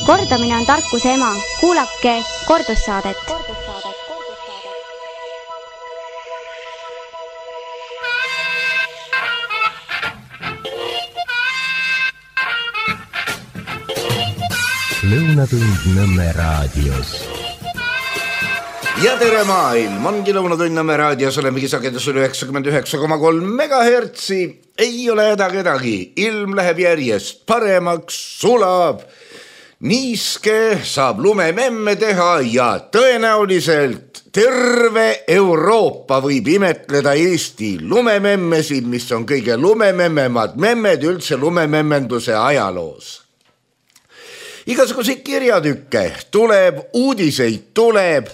Kordamine on tarkuse ema. Kuulake kordussaadet. Lõunatund Nõmme raadios. Ja tere maailm, ongi Lõunatund Nõmme raadios, olemegi sagedusel 99,3 megahertsi. Ei ole häda kedagi, ilm läheb järjest paremaks, sulab, niiske saab lumememme teha ja tõenäoliselt terve Euroopa võib imetleda Eesti lumememmesid, mis on kõige lumememmemad memmed üldse lumememmenduse ajaloos. Igasuguseid kirjatükke tuleb, uudiseid tuleb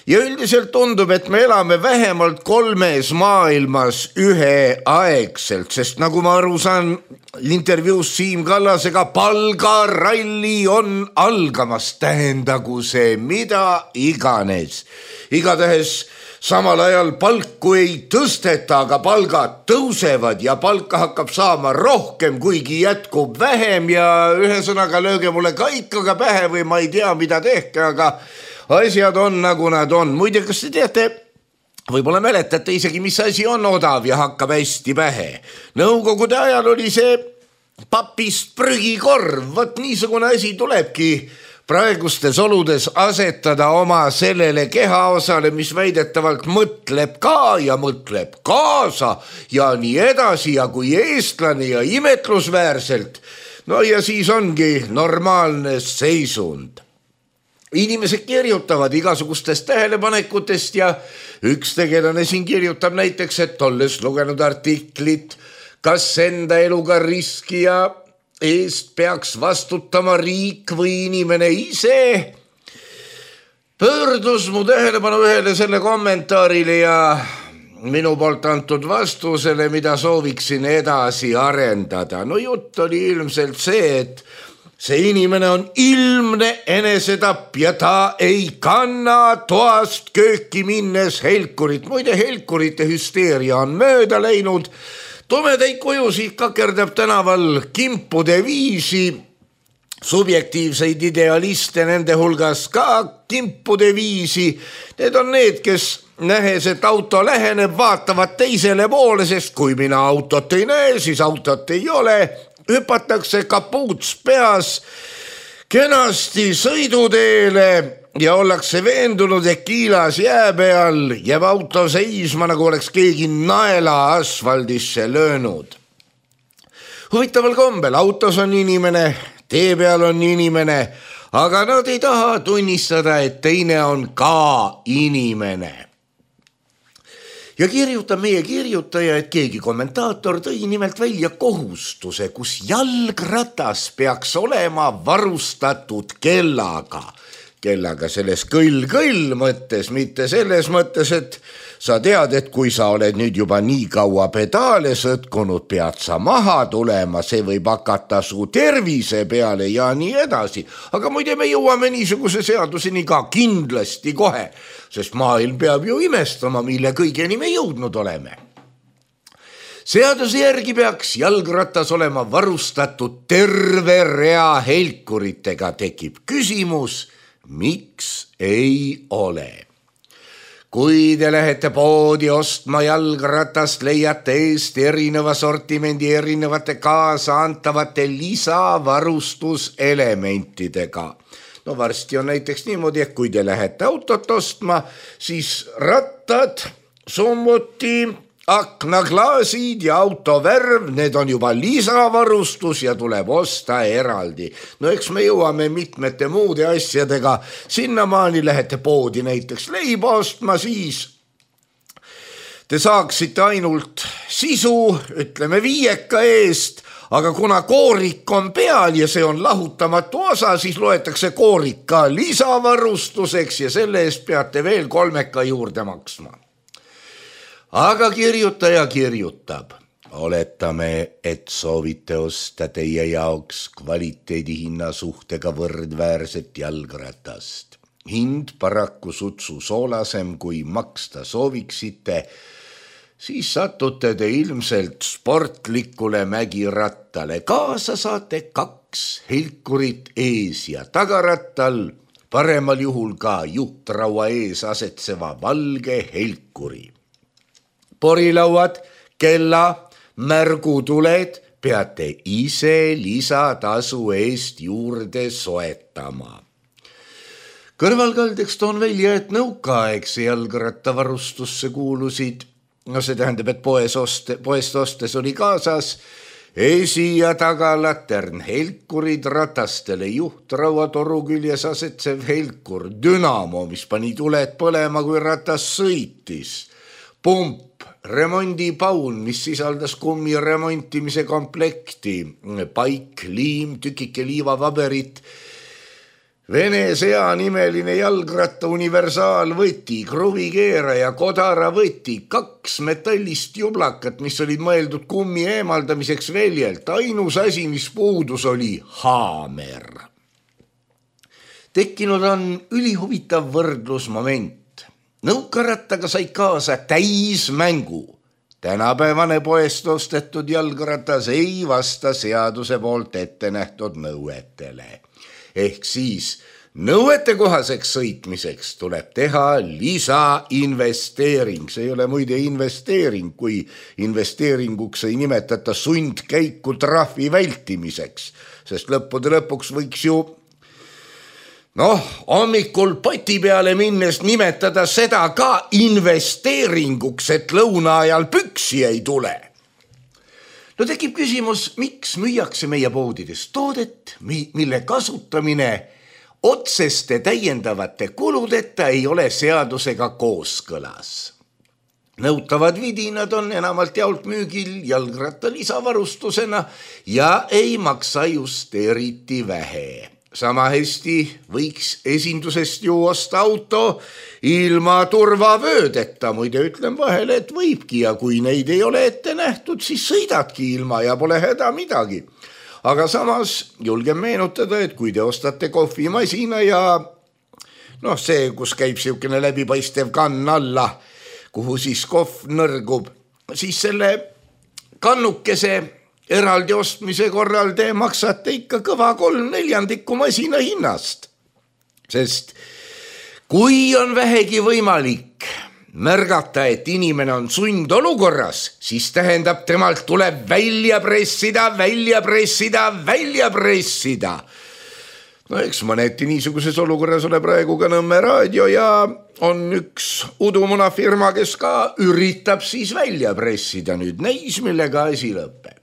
ja üldiselt tundub, et me elame vähemalt 3 maailmas üheaegselt, sest nagu ma aru saan intervjuus Siim Kallasega, palgaralli on algamas, tähendagu see mida iganes. Igatahes samal ajal palku ei tõsteta, aga palgad tõusevad ja palka hakkab saama rohkem, kuigi jätkub vähem ja ühesõnaga lööge mulle kaikaga pähe või ma ei tea, mida tehke, aga asjad on nagu nad on. Muide, kas te teate, võib-olla mäletate isegi, mis asi on odav ja hakkab hästi pähe. Nõukogude ajal oli see papist prügikorv, võt niisugune asi tulebki praegustes oludes asetada oma sellele kehaosale, mis väidetavalt mõtleb ka ja mõtleb kaasa ja nii edasi ja kui eestlane ja imetlusväärselt. No ja siis ongi normaalne seisund. Inimesed kirjutavad igasugustest tähelepanekutest ja üks tegelane siin kirjutab näiteks, et olles lugenud artiklit, kas enda eluga riskija eest peaks vastutama riik või inimene ise, pöördus mu tähelepanu ühele selle kommentaarile ja minu poolt antud vastusele, mida sooviksin edasi arendada. No jutt oli ilmselt see, et see inimene on ilmne enesetapp ja ta ei kanna toast kööki minnes helkurit. Muide, helkurite hüsteeria on mööda läinud. Tumedaid kujusid kakerdab tänaval kimpude viisi, subjektiivseid idealiste nende hulgas ka kimpude viisi. Need on need, kes nähes, et auto läheneb, vaatavad teisele poole, sest kui mina autot ei näe, siis autot ei ole. Hüpatakse kapuuts peas kenasti sõiduteele ja ollakse veendunud, et kiilas jää peal jääb auto seisma, nagu oleks keegi naela asfaldisse löönud. Huvitaval kombel, autos on inimene, tee peal on inimene, aga nad ei taha tunnistada, et teine on ka inimene. Ja kirjutab meie kirjutaja, et keegi kommentaator tõi nimelt välja kohustuse, kus jalgratas peaks olema varustatud kellaga. Kellaga selles kõll mõttes, mitte selles mõttes, et sa tead, et kui sa oled nüüd juba nii kaua pedaale sõtkunud, pead sa maha tulema, see võib hakata su tervise peale ja nii edasi. Aga muide, me jõuame niisuguse seaduseni ka kindlasti kohe, sest maailm peab ju imestama, mille kõigeni me jõudnud oleme. Seaduse järgi peaks jalgratas olema varustatud terve rea helkuritega. Tekib küsimus, miks ei ole? Kui te lähete poodi ostma jalgratast, leiate eest erineva sortimendi erinevate kaasa antavate lisavarustuselementidega. No varsti on näiteks niimoodi, et kui te lähete autot ostma, siis rattad, summuti, aknaklaasid ja autovärv, need on juba lisavarustus ja tuleb osta eraldi. No eks me jõuame mitmete muude asjadega. Sinnamaani lähete poodi näiteks leiba ostma, siis te saaksite ainult sisu, ütleme 5 eest, aga kuna koorik on peal ja see on lahutamatu osa, siis loetakse koorik ka lisavarustuseks ja selle eest peate veel 3 juurde maksma. Aga kirjutaja kirjutab. Oletame, et soovite osta teie jaoks kvaliteedi hinna suhtega võrdväärset jalgratast. Hind paraku sutsu soolasem, kui maksta sooviksite. siis satute te ilmselt sportlikule mägirattale. Kaasa saate 2 helkurit ees ja tagarattal, paremal juhul ka juhtraua ees asetseva valge helkuri. Porilauad, kella, märgutuled peate ise lisatasu eest juurde soetama. Kõrvalkaldeks toon välja, et nõukaaegse jalgrattavarustusse kuulusid, see tähendab, et poest ostes oli kaasas esi- ja tagalatern, helkurid ratastele, juhtrauatoru küljes asetsev helkur, dünamo, mis pani tuled põlema, kui ratas sõitis, pump, remondipaun, mis sisaldas kummi remontimise komplekti, paik, liim, tükike liivapaberit, Vene sea nimeline jalgratta universaalvõti, kruvikeeraja, kodaravõti, 2 metallist jublakat, mis olid mõeldud kummi eemaldamiseks väljelt. Ainus asi, mis puudus, oli haamer. Tekkinud on ülihuvitav võrdlusmoment. Nõukarattaga sai kaasa täismängu. Tänapäevane poest ostetud jalgratas ei vasta seaduse poolt ette nähtud nõuetele. Ehk siis nõuetekohaseks sõitmiseks tuleb teha lisainvesteering. See ei ole muide investeering, kui investeeringuks ei nimetata sundkäiku trahvi vältimiseks, sest lõppude lõpuks võiks ju hommikul poti peale minnes nimetada seda ka investeeringuks, et lõuna ajal püksi ei tule. Tekib küsimus, miks müüakse meie poodides toodet, mille kasutamine otseste täiendavate kuludeta ei ole seadusega kooskõlas. Nõutavad vidinad on enamalt jaolt müügil jalgratta lisavarustusena ja ei maksa just eriti vähe. Sama hästi võiks esindusest ju osta auto ilma turvavöödeta, muide ütlen vahele, et võibki ja kui neid ei ole ette nähtud, siis sõidadki ilma ja pole häda midagi. Aga samas julgen meenutada, et kui te ostate kohvimasina ja see, kus käib siukene läbipaistev kann alla, kuhu siis kohv nõrgub, siis selle kannukese eraldi ostmise korral te maksate ikka kõva 3/4 masina hinnast. Sest kui on vähegi võimalik märgata, et inimene on sundolukorras, siis tähendab, temalt tuleb välja pressida. Eks mõneti niisuguses olukorras ole praegu ka Nõmme raadio ja on üks udumunafirma, kes ka üritab siis välja pressida. Nüüd näis, millega asi lõpeb.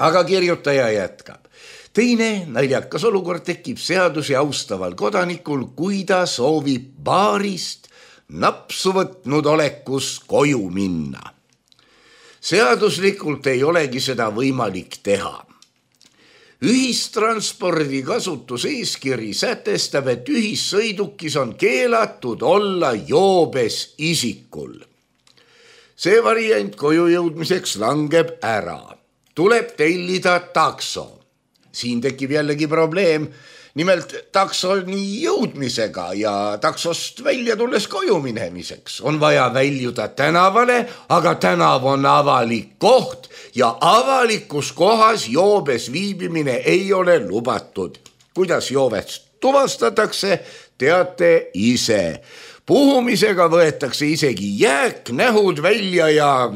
Aga kirjutaja jätkab. Teine naljakas olukord tekib seadusi austaval kodanikul, kui ta soovib baarist napsu võtnud olekus koju minna. Seaduslikult ei olegi seda võimalik teha. Ühistranspordi kasutuseeskiri sätestab, et ühissõidukis on keelatud olla joobes isikul. See variant koju jõudmiseks langeb ära. Tuleb tellida takso. Siin tekib jällegi probleem, nimelt taksoni jõudmisega ja taksost välja tulles koju minemiseks. On vaja väljuda tänavale, aga tänav on avalik koht ja avalikus kohas joobes viibimine ei ole lubatud. Kuidas joobest tuvastatakse, teate ise. Puhumisega võetakse isegi jääknähud välja ja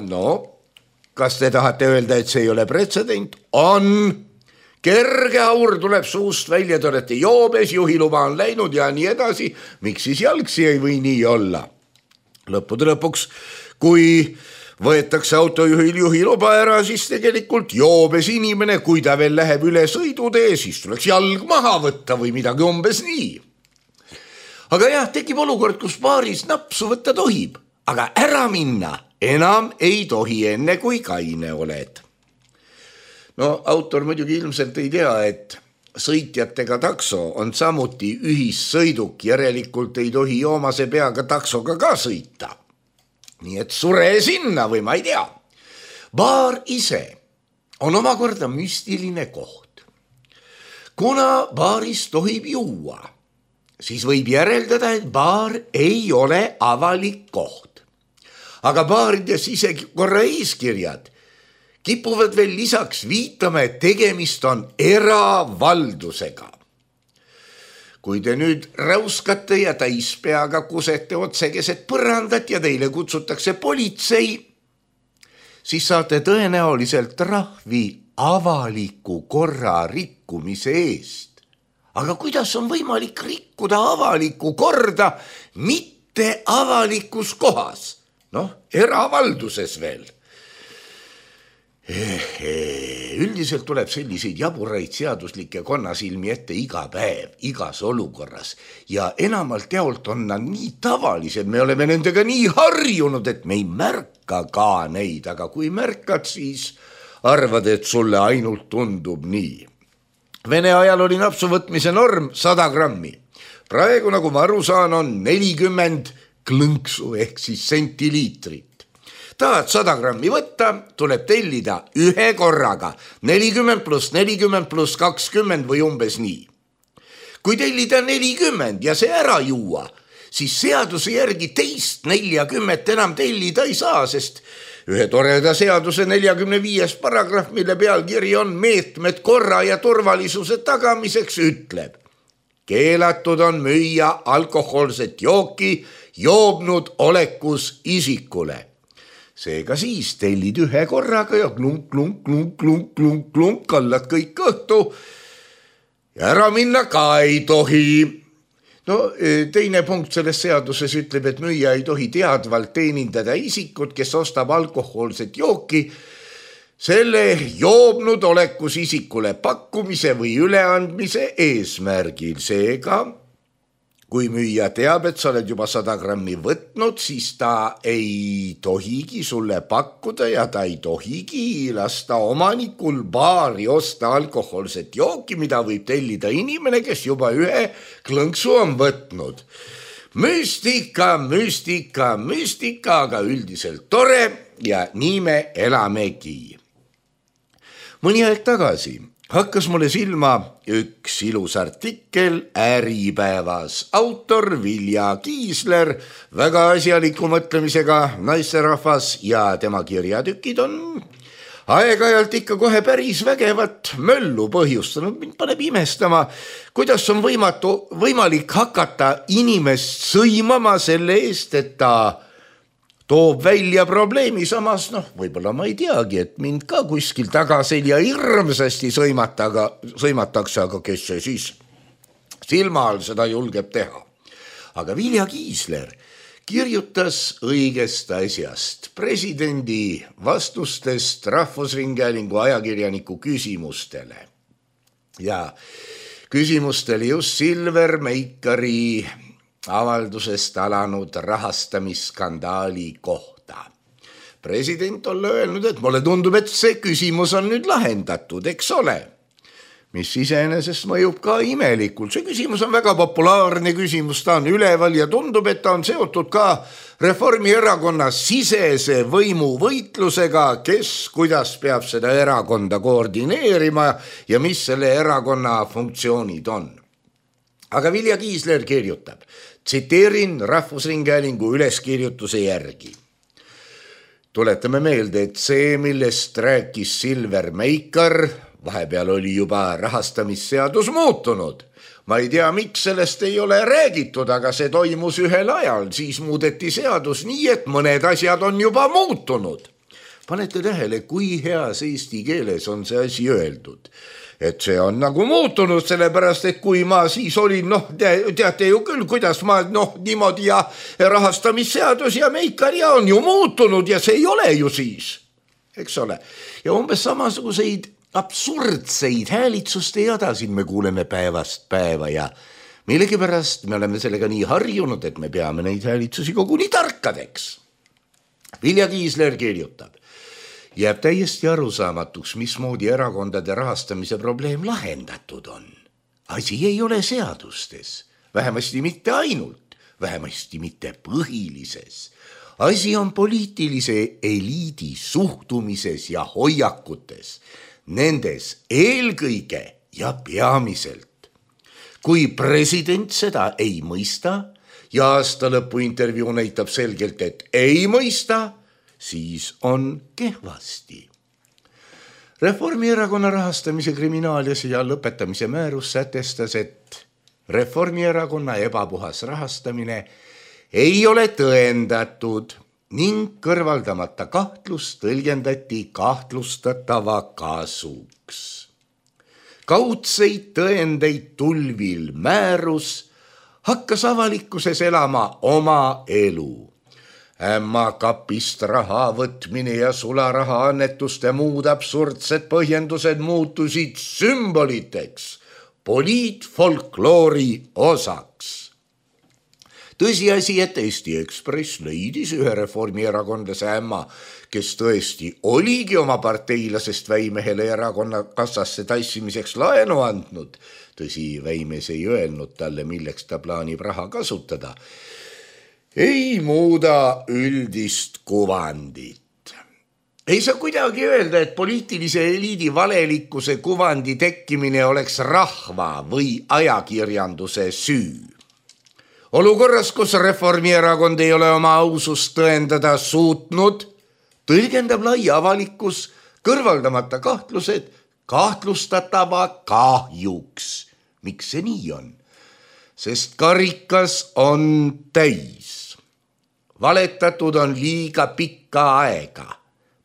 kas te tahate öelda, et see ei ole pretsedent? On. Kerge aur tuleb suust välja, te olete joobes, juhiluba on läinud ja nii edasi. Miks siis jalgsi ei või nii olla? Lõppude lõpuks, kui võetakse autojuhil juhiluba ära, siis tegelikult joobes inimene, kui ta veel läheb üle sõidutee, siis tuleks jalg maha võtta või midagi umbes nii. Aga jah, tekib olukord, kus baaris napsu võtta tohib, aga ära minna enam ei tohi enne, kui kaine oled. Autor muidugi ilmselt ei tea, et sõitjatega takso on samuti ühissõiduk, järelikult ei tohi joomase peaga taksoga ka sõita. Nii et sure sinna või ma ei tea. Baar ise on omakorda müstiline koht. Kuna baaris tohib juua, siis võib järeldada, et baar ei ole avalik koht. aga baarides isegi korra eeskirjad kipuvad veel lisaks viitama, et tegemist on eravaldusega. Kui te nüüd räuskate ja täispeaga kusete otse keset põrandat ja teile kutsutakse politsei, siis saate tõenäoliselt trahvi avaliku korra rikkumise eest. Aga kuidas on võimalik rikkuda avalikku korda mitte avalikus kohas? Eravalduses veel. Üldiselt tuleb selliseid jaburaid seaduslikke konnasilmi ette iga päev, igas olukorras ja enamalt jaolt on nad nii tavalised, me oleme nendega nii harjunud, et me ei märka ka neid, aga kui märkad, siis arvad, et sulle ainult tundub nii. Vene ajal oli napsu võtmise norm 100 grammi. Praegu, nagu ma aru saan, on 40 klõnksu ehk siis sentiliitrit. Tahad 100 grammi võtta, tuleb tellida ühe korraga 40 + 40 + 20 või umbes nii. Kui tellida 40 ja see ära juua, siis seaduse järgi teist 40 enam tellida ei saa, sest ühe toreda seaduse 45. paragrahv, mille pealkiri on meetmed korra ja turvalisuse tagamiseks, ütleb: keelatud on müüa alkohoolset jooki joobnud olekus isikule. Seega siis tellid ühe korraga ja klunk, kallad kõik õhtu ja ära minna ka ei tohi. Teine punkt selles seaduses ütleb, et müüja ei tohi teadvalt teenindada isikut, kes ostab alkohoolset jooki selle joobnud olekus isikule pakkumise või üleandmise eesmärgil. Seega, kui müüja teab, et sa oled juba 100 grammi võtnud, siis ta ei tohigi sulle pakkuda ja ta ei tohigi lasta omanikul baari osta alkohoolset jooki, mida võib tellida inimene, kes juba ühe klõnksu on võtnud. Müstika, aga üldiselt tore ja nii me elamegi. Mõni aeg tagasi hakkas mulle silma üks ilus artikkel Äripäevas. Autor Vilja Kiisler, väga asjaliku mõtlemisega naisterahvas ja tema kirjatükid on aeg-ajalt ikka kohe päris vägevat möllu põhjustanud. Mind paneb imestama, kuidas on võimalik hakata inimest sõimama selle eest, et ta toob välja probleemi, samas võib-olla ma ei teagi, et mind ka kuskil tagaselja hirmsasti sõimatakse, aga kes see siis silma all seda julgeb teha. Aga Vilja Kiisler kirjutas õigest asjast, presidendi vastustest Rahvusringhäälingu ajakirjaniku küsimustele. Ja küsimustel just Silver Meikari avaldusest alanud rahastamisskandaali kohta. President on öelnud, et mulle tundub, et see küsimus on nüüd lahendatud, eks ole? Mis iseenesest mõjub ka imelikult. See küsimus on väga populaarne küsimus, ta on üleval ja tundub, et ta on seotud ka Reformierakonna sisese võimuvõitlusega, kes kuidas peab seda erakonda koordineerima ja mis selle erakonna funktsioonid on. Aga Vilja Kiisler kirjutab, tsiteerin Rahvusringhäälingu üleskirjutuse järgi. Tuletame meelde, et see, millest rääkis Silver Meikar, vahepeal oli juba rahastamisseadus muutunud. Ma ei tea, miks sellest ei ole räägitud, aga see toimus ühel ajal, siis muudeti seadus nii, et mõned asjad on juba muutunud. Panete tähele, kui heas eesti keeles on see asi öeldud. Et see on nagu muutunud, sellepärast, et kui ma siis olin, teate ju küll, kuidas ma niimoodi ja rahastamisseadus ja Meikar ja on ju muutunud ja see ei ole ju siis, eks ole. Ja umbes samasuguseid absurdseid häälitsuste jada siin me kuuleme päevast päeva ja millegipärast me oleme sellega nii harjunud, et me peame neid häälitsusi koguni tarkadeks. Vilja Kiisler kirjutab. Jääb täiesti arusaamatuks, mismoodi erakondade rahastamise probleem lahendatud on. Asi ei ole seadustes, vähemasti mitte ainult, vähemasti mitte põhilises. Asi on poliitilise eliidi suhtumises ja hoiakutes, nendes eelkõige ja peamiselt. Kui president seda ei mõista ja aasta lõpu intervjuu näitab selgelt, et ei mõista, siis on kehvasti. Reformierakonna rahastamise kriminaalis ja lõpetamise määrus sätestas, et Reformierakonna ebapuhas rahastamine ei ole tõendatud ning kõrvaldamata kahtlus tõlgendati kahtlustatava kasuks. Kaudseid tõendeid tulvil määrus hakkas avalikkuses elama oma elu. Ämma kapist raha võtmine ja sularaha annetuste muud absurdsed põhjendused muutusid sümboliteks, poliitfolkloori osaks. Tõsiasi, et Eesti Ekspress leidis ühe reformierakondlase ämma, kes tõesti oligi oma parteilasest väimehele erakonna kassasse tassimiseks laenu andnud. Tõsi, väimes ei öelnud talle, milleks ta plaanib raha kasutada. Ei muuda üldist kuvandit. Ei saa kuidagi öelda, et poliitilise eliidi valelikkuse kuvandi tekkimine oleks rahva või ajakirjanduse süü. Olukorras, kus Reformierakond ei ole oma ausust tõendada suutnud, tõlgendab lai avalikkus kõrvaldamata kahtlused kahtlustatava kahjuks. Miks see nii on? Sest karikas on täis. Valetatud on liiga pikka aega.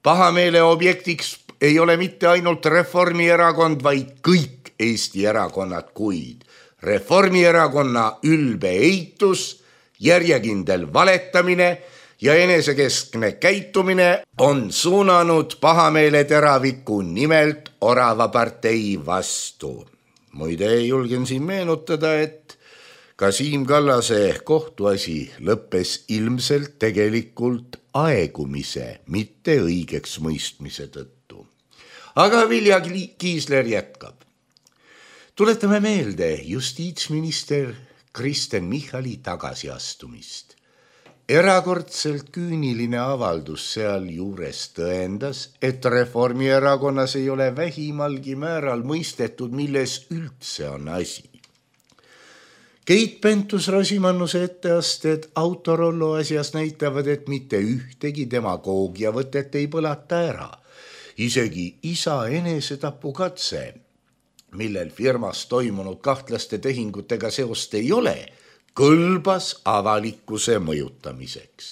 Pahameele objektiks ei ole mitte ainult Reformierakond, vaid kõik Eesti erakonnad, kuid Reformierakonna ülbe eitus, järjekindel valetamine ja enesekeskne käitumine on suunanud pahameele teraviku nimelt Orava partei vastu. Muide, julgen siin meenutada, et ka Siim Kallase kohtuasi lõppes ilmselt tegelikult aegumise, mitte õigeks mõistmise tõttu. Aga Vilja Kiisler jätkab. Tuletame meelde justiitsminister Kristen Michali tagasiastumist. Erakordselt küüniline avaldus seal juures tõendas, et Reformierakonnas ei ole vähimalgi määral mõistetud, milles üldse on asi. Keit Pentus-Rosimannuse etteasted Autorollo asjas näitavad, et mitte ühtegi demagoogia võtet ei põlata ära. Isegi isa enesetapukatse, millel firmas toimunud kahtlaste tehingutega seost ei ole, kõlbas avalikkuse mõjutamiseks.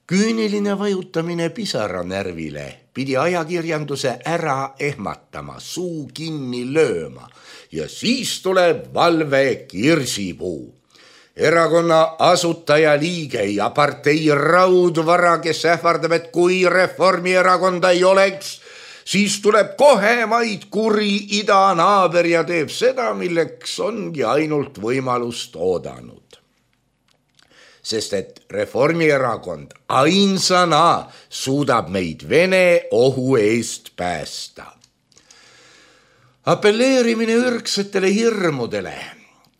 Küüniline vajutamine pisaranärvile pidi ajakirjanduse ära ehmatama, suu kinni lööma ja siis tuleb valve kirsipuu. Erakonna asutaja liige ja partei raudvara, kes ähvardab, et kui Reformierakonda ei oleks, siis tuleb kohe maid kuri idanaaber ja teeb seda, milleks ongi ainult võimalust oodanud. Sest et Reformierakond ainsana suudab meid Vene ohu eest päästa. Appelleerimine ürgsetele hirmudele,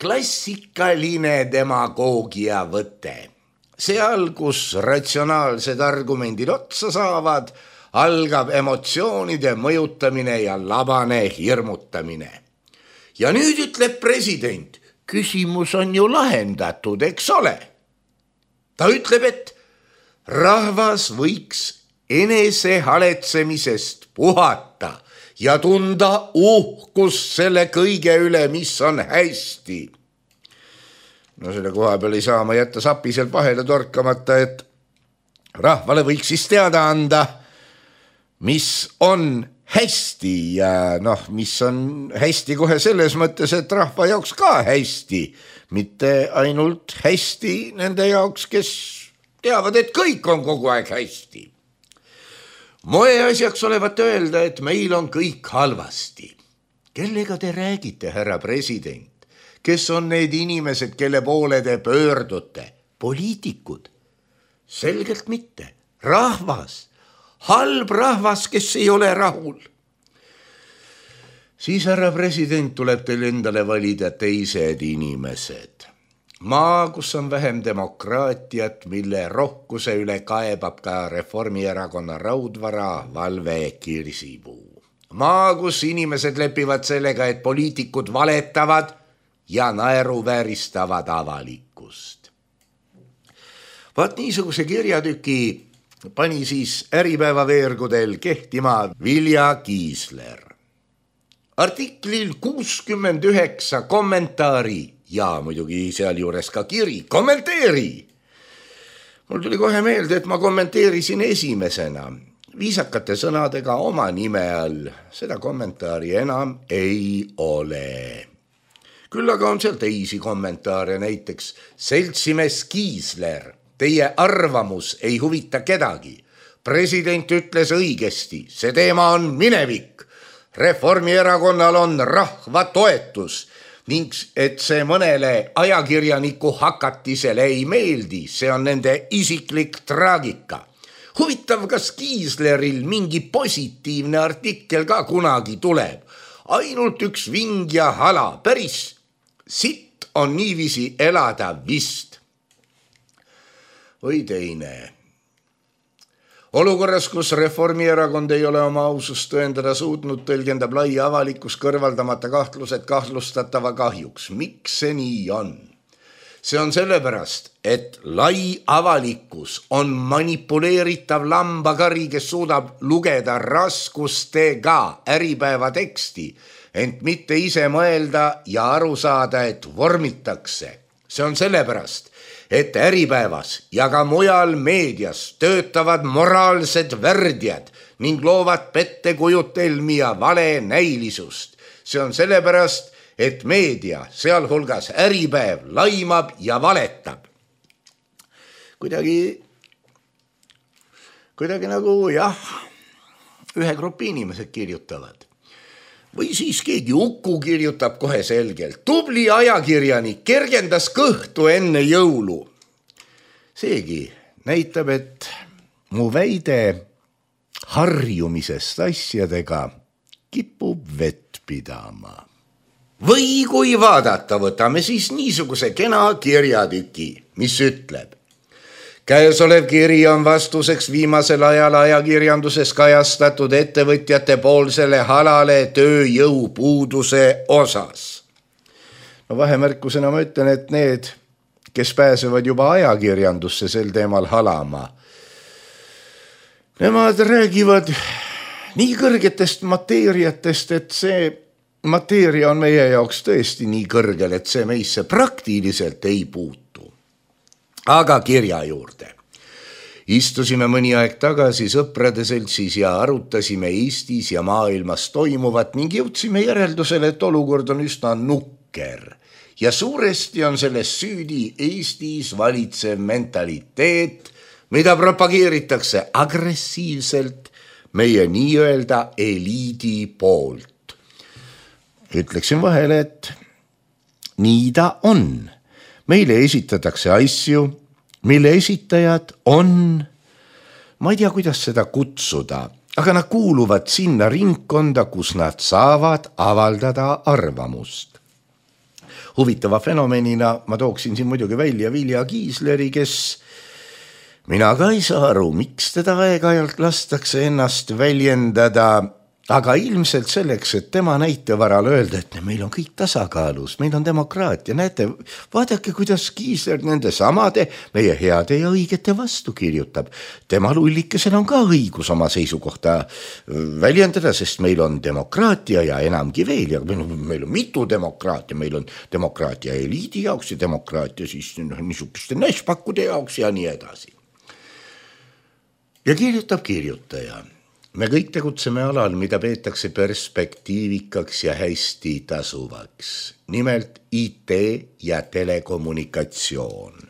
klassikaline demagoogia võte. Seal, kus ratsionaalsed argumendid otsa saavad, algab emotsioonide mõjutamine ja labane hirmutamine. Ja nüüd ütleb president, küsimus on ju lahendatud, eks ole? Ta ütleb, et rahvas võiks enesehaletsemisest puhata ja tunda uhkust selle kõige üle, mis on hästi. No selle koha peal ei saa ma jätta sapiselt vahele torkamata, et rahvale võiks siis teada anda, mis on hästi ja mis on hästi kohe selles mõttes, et rahva jaoks ka hästi, mitte ainult hästi nende jaoks, kes teavad, et kõik on kogu aeg hästi. Moeasjaks olevat öelda, et meil on kõik halvasti. Kellega te räägite, härra president? Kes on need inimesed, kelle poole te pöördute? Poliitikud? Selgelt mitte. Rahvas. Halb rahvas, kes ei ole rahul. Siis, härra president, tuleb teil endale valida teised inimesed. Maa, kus on vähem demokraatiat, mille rohkuse üle kaebab ka Reformierakonna raudvara valve kirsipuu. Maa, kus inimesed lepivad sellega, et poliitikud valetavad ja naeruvääristavad avalikkust. Vaat niisuguse kirjatüki pani siis Äripäeva veergudel kehtima Vilja Kiisler. Artiklil 69 kommentaari ja muidugi seal juures ka kiri, kommenteeri. Mul tuli kohe meelde, et ma kommenteerisin esimesena viisakate sõnadega oma nime all. Seda kommentaari enam ei ole. Küll aga on seal teisi kommentaare, näiteks seltsimees Kiisler, teie arvamus ei huvita kedagi. President ütles õigesti, see teema on minevik. Reformierakonnal on rahva toetus ning et see mõnele ajakirjaniku hakatisele ei meeldi, see on nende isiklik traagika. Huvitav, kas Kiisleril mingi positiivne artikkel ka kunagi tuleb. Ainult üks ving ja hala, päris sitt on niiviisi elada vist. Või teine. Olukorras, kus Reformierakond ei ole oma ausust tõendada suutnud, tõlgendab lai avalikkus kõrvaldamata kahtlused kahtlustatava kahjuks. Miks see nii on? See on sellepärast, et lai avalikkus on manipuleeritav lambakari, kes suudab lugeda raskustega Äripäeva teksti, ent mitte ise mõelda ja aru saada, et vormitakse. See on sellepärast, et Äripäevas ja ka mujal meedias töötavad moraalsed värdjad ning loovad pettekujutelmi ja vale näilisust. See on sellepärast, et meedia, sealhulgas Äripäev, laimab ja valetab. Kuidagi nagu ühe grupi inimesed kirjutavad. Või siis keegi Uku kirjutab kohe selgelt. Tubli ajakirjanik kergendas kõhtu enne jõulu. Seegi näitab, et mu väide harjumisest asjadega kipub vett pidama. Või kui vaadata, võtame siis niisuguse kena kirjatüki, mis ütleb. Käesolev kiri on vastuseks viimasel ajal ajakirjanduses kajastatud ettevõtjate poolsele halale tööjõupuuduse osas. No vahemärkusena ma ütlen, et need, kes pääsevad juba ajakirjandusse sel teemal halama, nemad räägivad nii kõrgetest mateeriatest, et see mateeria on meie jaoks tõesti nii kõrgel, et see meisse praktiliselt ei puutu. Aga kirja juurde. Istusime mõni aeg tagasi sõprade seltsis ja arutasime Eestis ja maailmas toimuvat ning jõudsime järeldusele, et olukord on üsna nukker. Ja suuresti on selles süüdi Eestis valitsev mentaliteet, mida propageeritakse agressiivselt meie nii-öelda eliidi poolt. Ütleksin vahele, et nii ta on. Meile esitatakse asju, mille esitajad on, ma ei tea, kuidas seda kutsuda, aga nad kuuluvad sinna ringkonda, kus nad saavad avaldada arvamust. Huvitava fenomenina ma tooksin siin muidugi välja Vilja Kiisleri, kes mina ka ei saa aru, miks teda aeg-ajalt lastakse ennast väljendada, aga ilmselt selleks, et tema näitevaral öelda, et meil on kõik tasakaalus, meil on demokraatia. Näete, vaadake, kuidas Kiisler nende samade meie heade ja õigete vastu kirjutab. Tema lullikesel on ka õigus oma seisukohta väljendada, sest meil on demokraatia ja enamgi veel. Ja meil on mitu demokraatia, meil on demokraatia eliidi jaoks ja demokraatia siis niisuguste näšpakkude jaoks ja nii edasi. Ja kirjutab kirjutaja. Me kõik tegutseme alal, mida peetakse perspektiivikaks ja hästi tasuvaks. Nimelt IT ja telekommunikatsioon.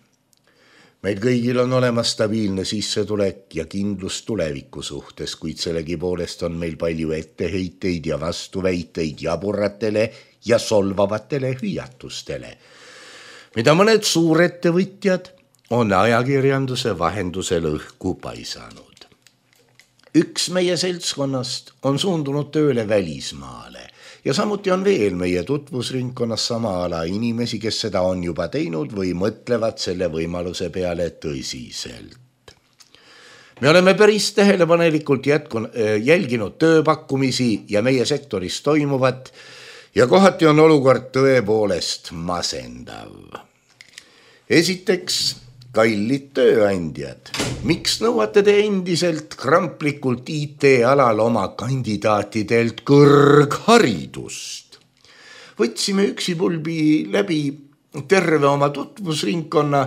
Meil kõigil on olemas stabiilne sissetulek ja kindlus tuleviku suhtes, kuid sellegipoolest on meil palju etteheiteid ja vastuväiteid jaburatele ja solvavatele hüüatustele, mida mõned suurettevõtjad on ajakirjanduse vahendusel õhku paisanud. Üks meie seltskonnast on suundunud tööle välismaale ja samuti on veel meie tutvusringkonnas sama ala inimesi, kes seda on juba teinud või mõtlevad selle võimaluse peale tõsiselt. Me oleme päris tähelepanelikult jälginud tööpakkumisi ja meie sektoris toimuvat ja kohati on olukord tõepoolest masendav. Esiteks, kallid tööandjad, miks nõuate te endiselt kramplikult IT-alal oma kandidaatidelt kõrgharidust? Võtsime üksipulbi läbi terve oma tutvusringkonna,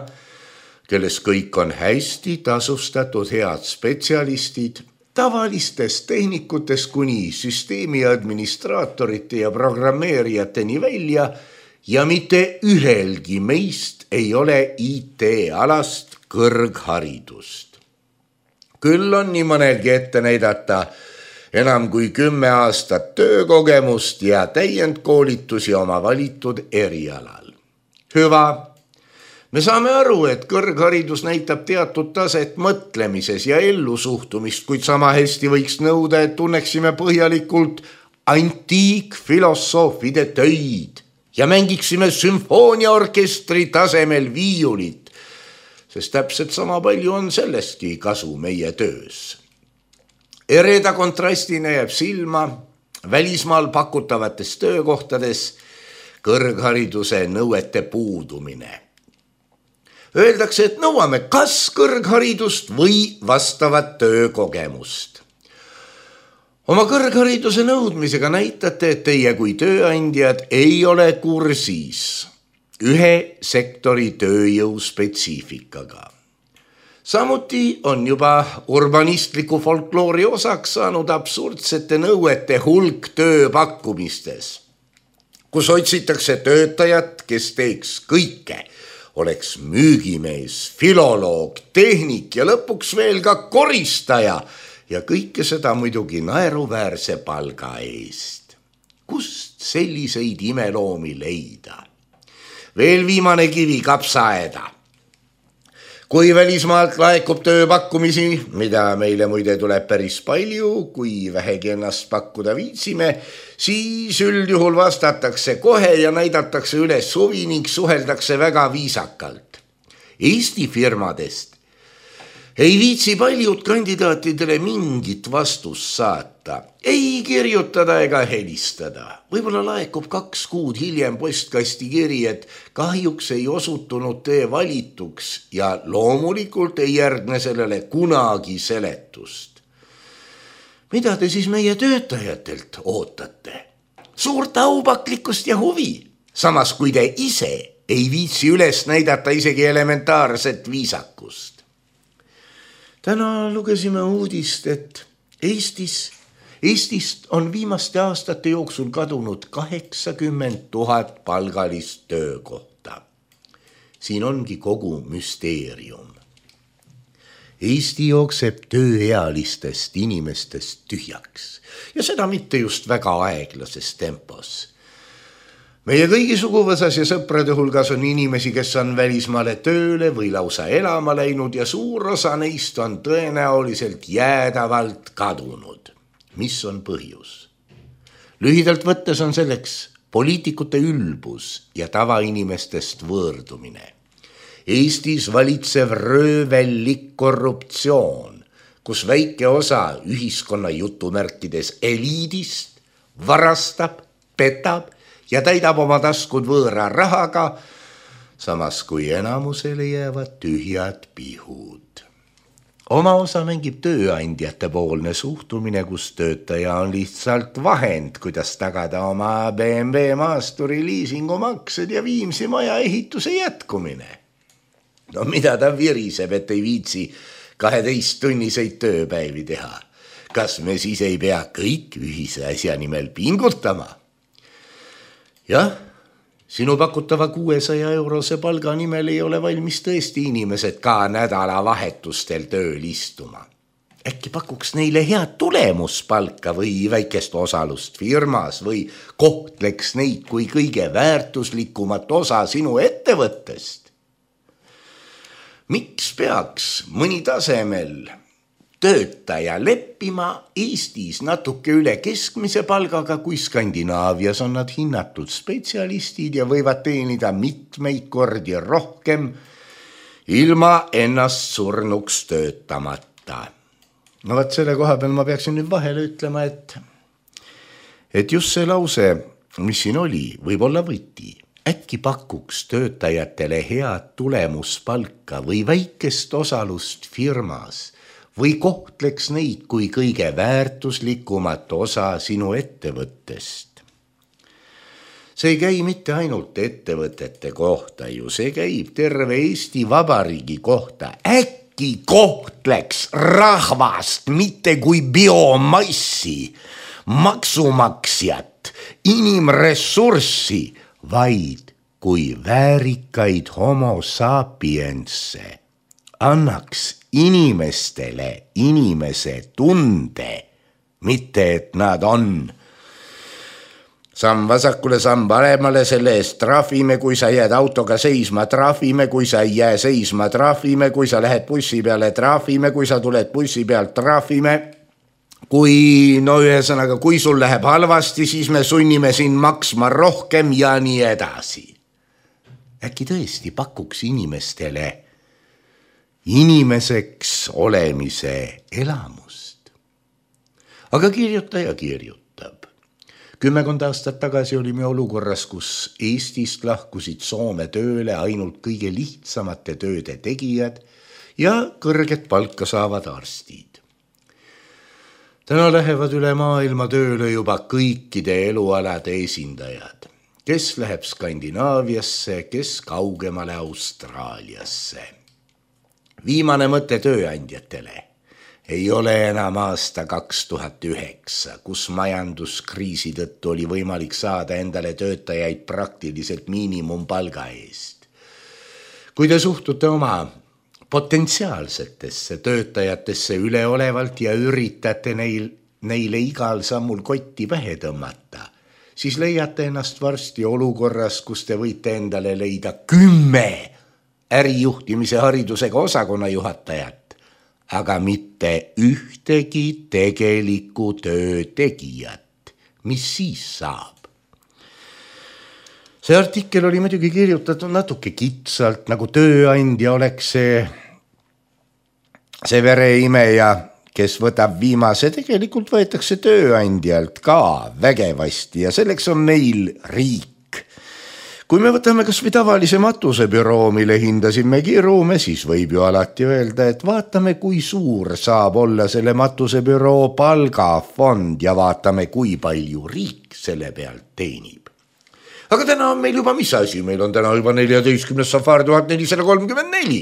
kelles kõik on hästi tasustatud head spetsialistid, tavalistest tehnikutest kuni süsteemi administraatorite ja programmeerijateni välja ja mitte ühelgi meist ei ole IT-alast kõrgharidust. Küll on nii mõnelgi ette näidata enam kui 10 aastat töökogemust ja täiendkoolitusi oma valitud erialal. Hüva. Me saame aru, et kõrgharidus näitab teatud taset mõtlemises ja ellusuhtumist, kuid sama hästi võiks nõuda, et tunneksime põhjalikult antiikfilosoofide töid ja mängiksime sümfooniaorkestri tasemel viiulit, sest täpselt sama palju on sellestki kasu meie töös. Ereda kontrastina jääb silma välismaal pakutavates töökohtades kõrghariduse nõuete puudumine. Öeldakse, et nõuame kas kõrgharidust või vastavat töökogemust. Oma kõrghariduse nõudmisega näitate, et teie kui tööandjad ei ole kursis ühe sektori tööjõu spetsiifikaga. Samuti on juba urbanistliku folkloori osaks saanud absurdsete nõuete hulk tööpakkumistes, kus otsitakse töötajat, kes teeks kõike, oleks müügimees, filoloog, tehnik ja lõpuks veel ka koristaja ja kõike seda muidugi naeruväärse palga eest. Kust selliseid imeloomi leida? Veel viimane kivi kapsaaeda. Kui välismaalt laekub tööpakkumisi, mida meile muide tuleb päris palju, kui vähegi ennast pakkuda viitsime, siis üldjuhul vastatakse kohe ja näidatakse üles huvi ning suheldakse väga viisakalt. Eesti firmadest ei viitsi paljud kandidaatidele mingit vastust saata, ei kirjutada ega helistada. Võib-olla laekub 2 kuud hiljem postkasti kiri, et kahjuks ei osutunud tee valituks ja loomulikult ei järgne sellele kunagi seletust. Mida te siis meie töötajatelt ootate? Suurt aupaklikkust ja huvi, samas kui te ise ei viitsi üles näidata isegi elementaarset viisakust. Täna lugesime uudist, et Eestist on viimaste aastate jooksul kadunud 80 000 palgalist töökohta. Siin ongi kogu müsteerium. Eesti jookseb tööealistest inimestest tühjaks ja seda mitte just väga aeglases tempos. Meie kõigi suguvõsas ja sõprade hulgas on inimesi, kes on välismaale tööle või lausa elama läinud ja suur osa neist on tõenäoliselt jäädavalt kadunud. Mis on põhjus? Lühidalt võttes on selleks poliitikute ülbus ja tavainimestest võõrdumine. Eestis valitsev röövellik korruptsioon, kus väike osa ühiskonna jutumärkides eliidist varastab, petab ja täidab oma taskud võõra rahaga, samas kui enamusele jäävad tühjad pihud. Oma osa mängib tööandjate poolne suhtumine, kus töötaja on lihtsalt vahend, kuidas tagada oma BMW maasturi liisingumaksed ja Viimsi maja ehituse jätkumine. No mida ta viriseb, et ei viitsi 12-tunniseid tööpäevi teha? Kas me siis ei pea kõik ühise asja nimel pingutama? Jah, sinu pakutava 600-eurose palga nimel ei ole valmis tõesti inimesed ka nädalavahetustel tööl istuma. Äkki pakuks neile head tulemuspalka või väikest osalust firmas või kohtleks neid kui kõige väärtuslikumat osa sinu ettevõttest? Miks peaks mõni tasemel töötaja leppima Eestis natuke üle keskmise palgaga, kui Skandinaavias on nad hinnatud spetsialistid ja võivad teenida mitmeid kordi rohkem ilma ennast surnuks töötamata. No vaat selle koha peal ma peaksin nüüd vahele ütlema, et just see lause, mis siin oli, võib olla võti. Äkki pakuks töötajatele head tulemuspalka või väikest osalust firmas või kohtleks neid kui kõige väärtuslikumat osa sinu ettevõttest. See ei käi mitte ainult ettevõtete kohta ju, see käib terve Eesti Vabariigi kohta. Äkki kohtleks rahvast mitte kui biomassi, maksumaksjat, inimressurssi, vaid kui väärikaid homo sapiense, annaks inimestele inimese tunde, mitte et nad on. Samm vasakule, samm paremale, selle eest trahvime, kui sa jääd autoga seisma, trahvime, kui sa ei jää seisma, trahvime, kui sa lähed bussi peale, trahvime, kui sa tuled bussi pealt, trahvime. Kui sul läheb halvasti, siis me sunnime sind maksma rohkem ja nii edasi. Äkki tõesti pakuks inimestele inimeseks olemise elamust. Aga kirjutaja kirjutab. 10 aastat tagasi olime olukorras, kus Eestist lahkusid Soome tööle ainult kõige lihtsamate tööde tegijad ja kõrget palka saavad arstid. Täna lähevad üle maailma tööle juba kõikide elualade esindajad, kes läheb Skandinaaviasse, kes kaugemale Austraaliasse. Viimane mõte tööandjatele ei ole enam aasta 2009, kus majanduskriisi tõttu oli võimalik saada endale töötajaid praktiliselt miinimumpalga eest. Kui te suhtute oma potentsiaalsetesse töötajatesse üleolevalt ja üritate neile igal sammul kotti pähe tõmmata, siis leiate ennast varsti olukorras, kus te võite endale leida 10 ärijuhtimise haridusega osakonna juhatajat, aga mitte ühtegi tegelikku töötegijat. Mis siis saab? See artikkel oli muidugi kirjutatud natuke kitsalt, nagu tööandja oleks see vereimeja, kes võtab viimase. Tegelikult võetakse tööandjalt ka vägevasti ja selleks on meil riik. Kui me võtame kas või tavalise matusebüroo, mille hindasime kirume, siis võib ju alati öelda, et vaatame, kui suur saab olla selle matusebüroo palgafond ja vaatame, kui palju riik selle pealt teenib. Aga täna on meil juba mis asi? Meil on täna juba 14. safar 1434,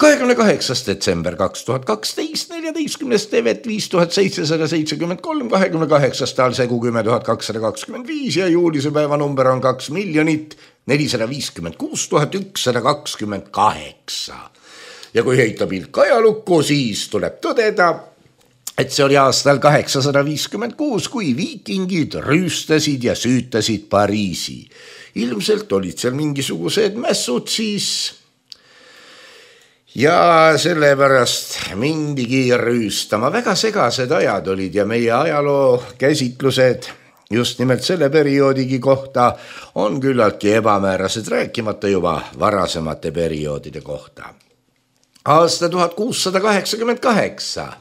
28. detsember 2012, 14. tevet 5773, 28. talsegu 10225 ja juulise päeva number on 2 456 128. Ja kui heita pilk ajalukku, siis tuleb tõdeda, et see oli aastal 856, kui viikingid rüüstasid ja süütasid Pariisi. Ilmselt olid seal mingisugused mässud siis ja sellepärast mindigi rüüstama. Väga segased ajad olid ja meie ajaloo käsitlused just nimelt selle perioodigi kohta on küllaltki ebamäärased, rääkimata juba varasemate perioodide kohta. Aasta 1688.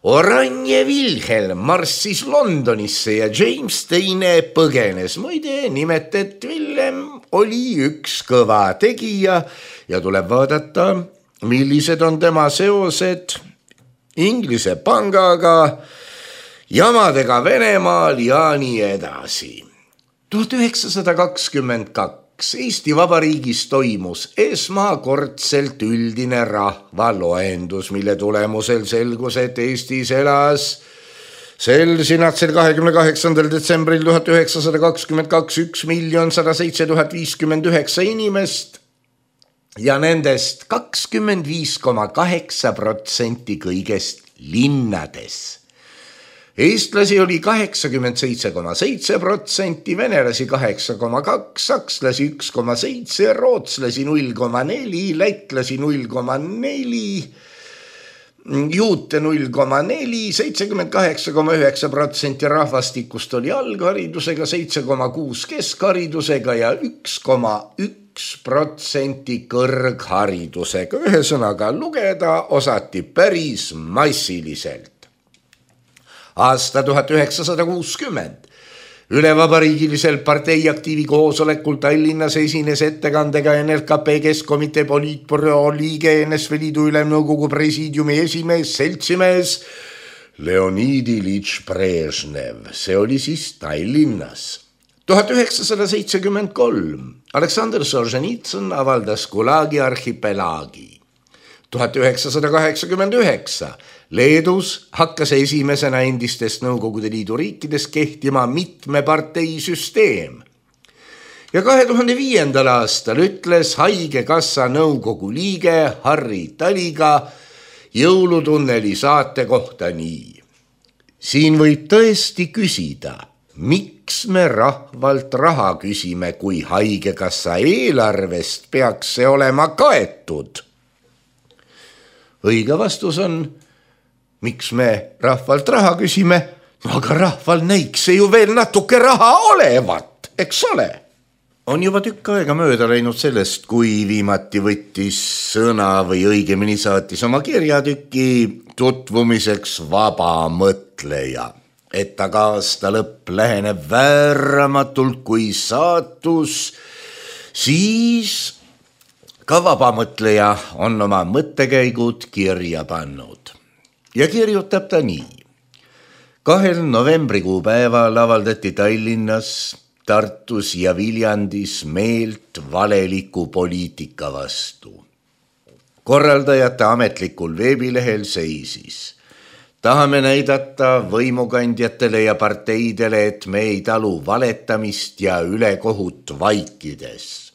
Oranje Wilhelm marssis Londonisse ja James II põgenes. Muide, nimet, et Wilhelm oli üks kõva tegija ja tuleb vaadata, millised on tema seosed Inglise pangaga, jamadega Venemaal ja nii edasi. 1922 Eesti Vabariigis toimus esmakordselt üldine rahvaloendus, mille tulemusel selgus, et Eestis elas sel 28. detsembril 1922 1 107 059 inimest ja nendest 25,8% kõigest linnades. Eestlasi oli 87,7%, venelasi 8,2%, sakslasi 1,7%, rootslasi 0,4%, lätlasi 0,4%, juute 0,4%, 78,9% rahvastikust oli algharidusega, 7,6% keskharidusega ja 1,1% kõrgharidusega. Ühesõnaga lugeda osati päris massiliselt. Aasta 1960. Ülevabariigilisel parteiaktiivi koosolekul Tallinnas esines ettekandega NLKP Keskkomitee poliitbüroo liige NSV Liidu Ülemnõukogu presiidiumi esimees, seltsimees Leonid Iljitš Brežnev. See oli siis Tallinnas. 1973 Aleksandr Solženitsõn avaldas Gulagi arhipelaagi. 1989 Leedus hakkas esimesena endistest Nõukogude Liidu riikides kehtima mitmeparteisüsteem. Ja 2005. aastal ütles Haigekassa nõukogu liige Harri Taliga Jõulutunneli saate kohta nii. Siin võib tõesti küsida, miks me rahvalt raha küsime, kui Haigekassa eelarvest peaks see olema kaetud? Õige vastus on, miks me rahvalt raha küsime, aga rahval näiks see ju veel natuke raha olevat, eks ole? On juba tükk aega mööda läinud sellest, kui viimati võttis sõna või õigemini saatis oma kirjatüki tutvumiseks vaba mõtleja. Et aga aasta lõpp läheneb vääramatult kui saatus, siis ka vabamõtleja on oma mõttekäigud kirja pannud. Ja kirjutab ta nii. 2. novembrikuu päeval avaldati Tallinnas, Tartus ja Viljandis meelt valeliku poliitika vastu. Korraldajate ametlikul veebilehel seisis. Tahame näidata võimukandjatele ja parteidele, et me ei talu valetamist ja ülekohut vaikides.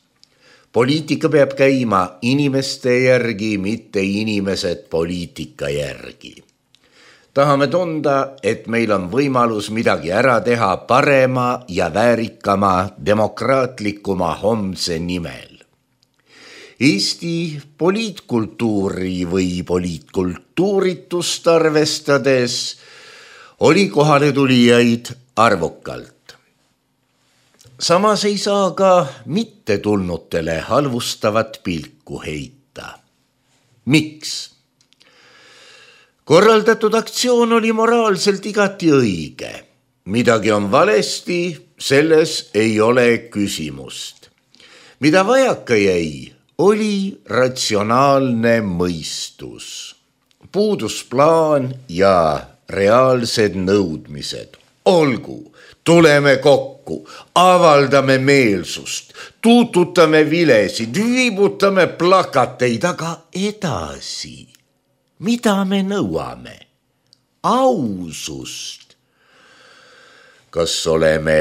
Poliitika peab käima inimeste järgi, mitte inimesed poliitika järgi. Tahame tunda, et meil on võimalus midagi ära teha parema ja väärikama demokraatlikuma homse nimel. Eesti poliitkultuuri või poliitkultuuritust arvestades oli kohale tulijaid arvukalt. Samas ei saa ka mittetulnutele halvustavat pilku heita. Miks? Korraldatud aktsioon oli moraalselt igati õige. Midagi on valesti, selles ei ole küsimust. Mida vajaka jäi, oli ratsionaalne mõistus. Puudus plaan ja reaalsed nõudmised. Olgu, tuleme kokku, avaldame meelsust, tuututame vilesid, viibutame plakateid, aga edasi. Mida me nõuame? Ausust. Kas oleme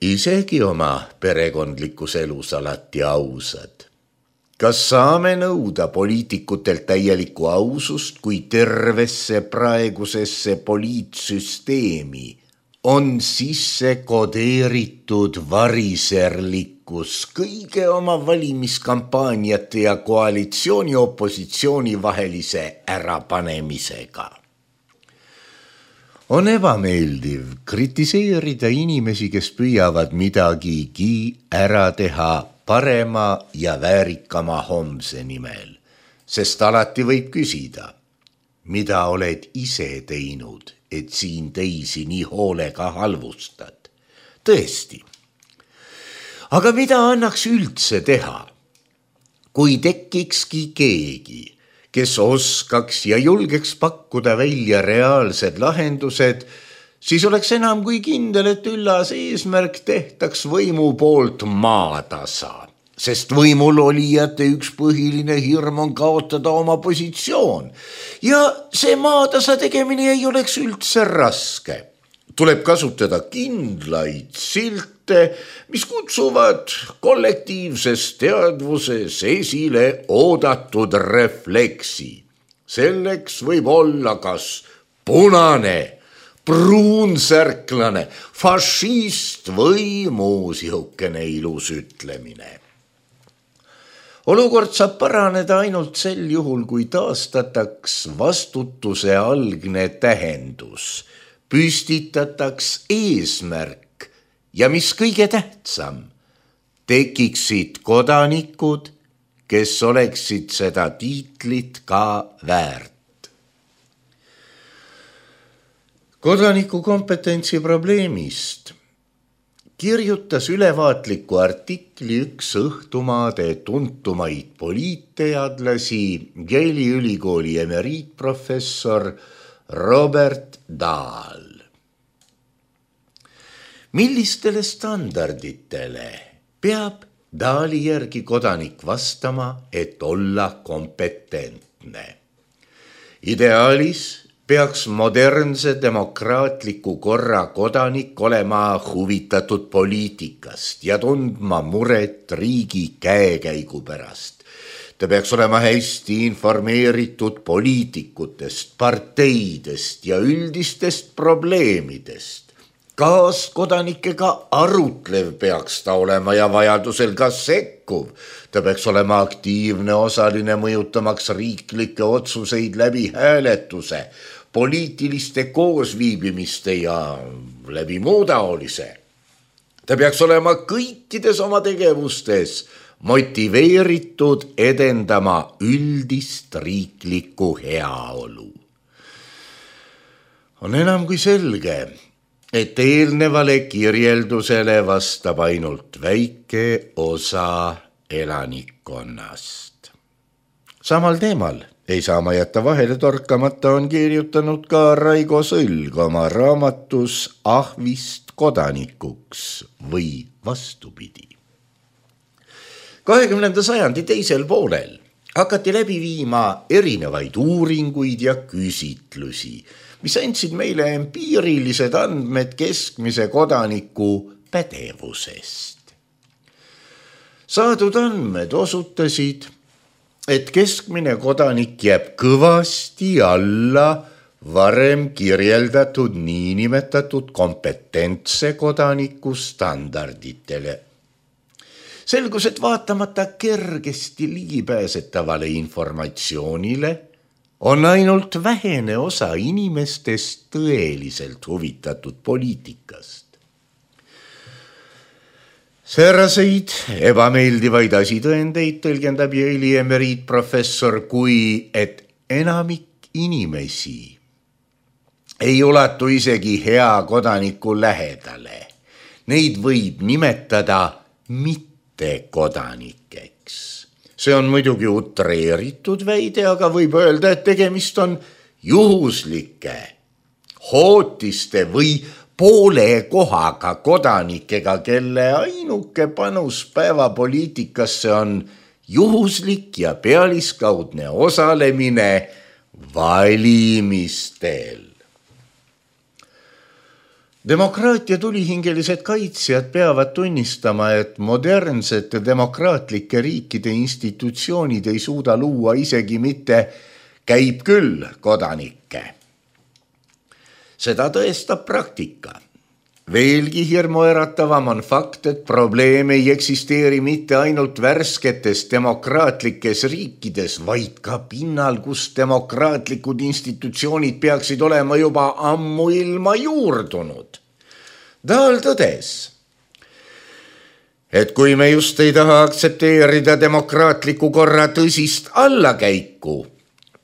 isegi oma perekondlikus elus alati ausad? Kas saame nõuda poliitikutelt täielikku ausust, kui tervesse praegusesse poliitsüsteemi on sisse kodeeritud variserlikkus kõige oma valimiskampaaniate ja koalitsiooni opositsiooni vahelise ärapanemisega? On ebameeldiv kritiseerida inimesi, kes püüavad midagigi ära teha parema ja väärikama homse nimel, sest alati võib küsida, mida oled ise teinud, et siin teisi nii hoolega halvustad. Tõesti. Aga mida annaks üldse teha, kui tekkikski keegi, kes oskaks ja julgeks pakkuda välja reaalsed lahendused, siis oleks enam kui kindel, et üllas eesmärk tehtaks võimu poolt maatasa. Sest võimul olijate üks põhiline hirm on kaotada oma positsioon. Ja see maatasa tegemine ei oleks üldse raske. Tuleb kasutada kindlaid silte, mis kutsuvad kollektiivses teadvuses esile oodatud refleksi. Selleks võib olla kas punane, pruunsärklane, fašist või muu sihukene ilus ütlemine. Olukord saab paraneda ainult sel juhul, kui taastataks vastutuse algne tähendus, püstitataks eesmärk ja mis kõige tähtsam, tekiksid kodanikud, kes oleksid seda tiitlit ka väärt. Kodaniku kompetentsi probleemist kirjutas ülevaatliku artikli üks Õhtumaade tuntumaid poliitteadlasi, Yale'i ülikooli emeriitprofessor Robert Dahl. Millistele standarditele peab Dahli järgi kodanik vastama, et olla kompetentne? Ideaalis peaks modernse demokraatliku korra kodanik olema huvitatud poliitikast ja tundma muret riigi käekäigu pärast. Ta peaks olema hästi informeeritud poliitikutest, parteidest ja üldistest probleemidest. Kaaskodanikega arutlev peaks ta olema ja vajadusel ka sekkuv. Ta peaks olema aktiivne osaline, mõjutamaks riiklikke otsuseid läbi hääletuse, poliitiliste koosviibimiste ja läbi muu taolise. Ta peaks olema kõikides oma tegevustes motiveeritud edendama üldist riiklikku heaolu. On enam kui selge, et eelnevale kirjeldusele vastab ainult väike osa elanikkonnast. Samal teemal ei saa ma jätta vahele torkamata on kirjutanud ka Raigo Sõlg oma raamatus Ahvist kodanikuks või vastupidi. 20. sajandi teisel poolel hakati läbi viima erinevaid uuringuid ja küsitlusi, mis andsid meile empiirilised andmed keskmise kodaniku pädevusest. Saadud andmed osutasid, et keskmine kodanik jääb kõvasti alla varem kirjeldatud niinimetatud kompetentse kodaniku standarditele. Selgus, et vaatamata kergesti ligipääsetavale informatsioonile on ainult vähene osa inimestest tõeliselt huvitatud poliitikast. Sääraseid ebameeldivaid asitõendeid tõlgendab Yale'i emeriitprofessor kui, et enamik inimesi ei ulatu isegi hea kodaniku lähedale. Neid võib nimetada mittekodanikeks. See on muidugi utreeritud väide, aga võib öelda, et tegemist on juhuslike, hootiste või poole kohaga kodanikega, kelle ainuke panus päevapoliitikasse on juhuslik ja pealiskaudne osalemine valimistel. Demokraatia tulihingelised kaitsjad peavad tunnistama, et modernsete demokraatlike riikide institutsioonid ei suuda luua isegi mitte käib küll kodanikke. Seda tõestab praktika. Veelgi hirmuäratavam on fakt, et probleem ei eksisteeri mitte ainult värsketes demokraatlikes riikides, vaid ka pinnal, kus demokraatlikud institutsioonid peaksid olema juba ammuilma juurdunud. Dahl tõdes, et kui me just ei taha aktsepteerida demokraatliku korra tõsist allakäiku,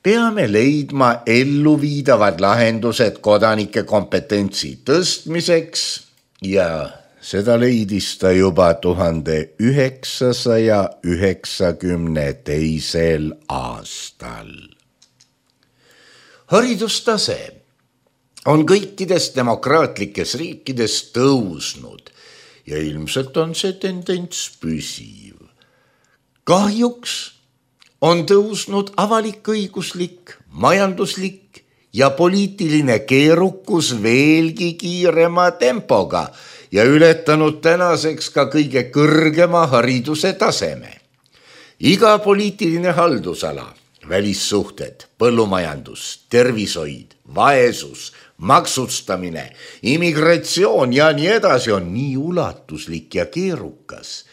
peame leidma elluviidavad lahendused kodanike kompetentsi tõstmiseks ja seda leidis ta juba 1992. aastal. Haridustase on kõikides demokraatlikes riikides tõusnud ja ilmselt on see tendents püsiv. Kahjuks on tõusnud avalik-õiguslik, majanduslik ja poliitiline keerukus veelgi kiirema tempoga ja ületanud tänaseks ka kõige kõrgema hariduse taseme. Iga poliitiline haldusala, välissuhted, põllumajandus, tervishoid, vaesus, maksustamine, immigratsioon ja nii edasi on nii ulatuslik ja keerukas,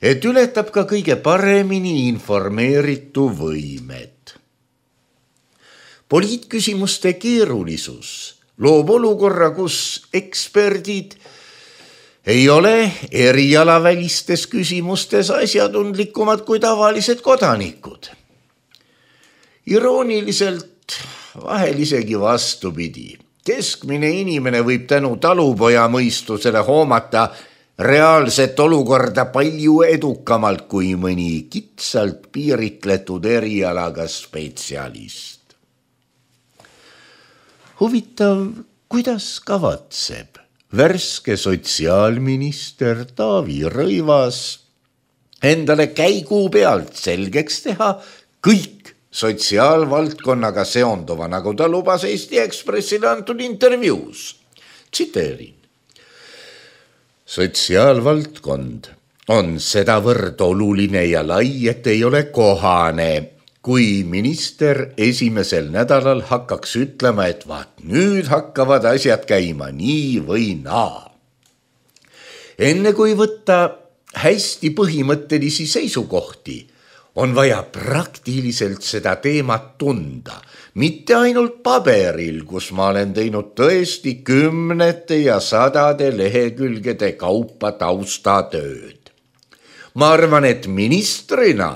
et ületab ka kõige paremini informeeritu võimed. Poliitküsimuste keerulisus loob olukorra, kus eksperdid ei ole erialavälistes küsimustes asjatundlikumad kui tavalised kodanikud. Irooniliselt vahel isegi vastupidi. Keskmine inimene võib tänu talupoja mõistusele hoomata reaalset olukorda palju edukamalt kui mõni kitsalt piiritletud erialaga spetsialist. Huvitav, kuidas kavatseb värske sotsiaalminister Taavi Rõivas endale käigu pealt selgeks teha kõik sotsiaalvaldkonnaga seonduva, nagu ta lubas Eesti Ekspressile antud intervjuus. Tsiteerin. Sotsiaalvaldkond on sedavõrd oluline ja lai, et ei ole kohane, kui minister esimesel nädalal hakkaks ütlema, et vaat nüüd hakkavad asjad käima nii või naa. Enne kui võtta hästi põhimõttelisi seisukohti, on vaja praktiliselt seda teemat tunda, mitte ainult paberil, kus ma olen teinud tõesti 10 ja 100 lehekülgede kaupa taustatööd. Ma arvan, et ministrina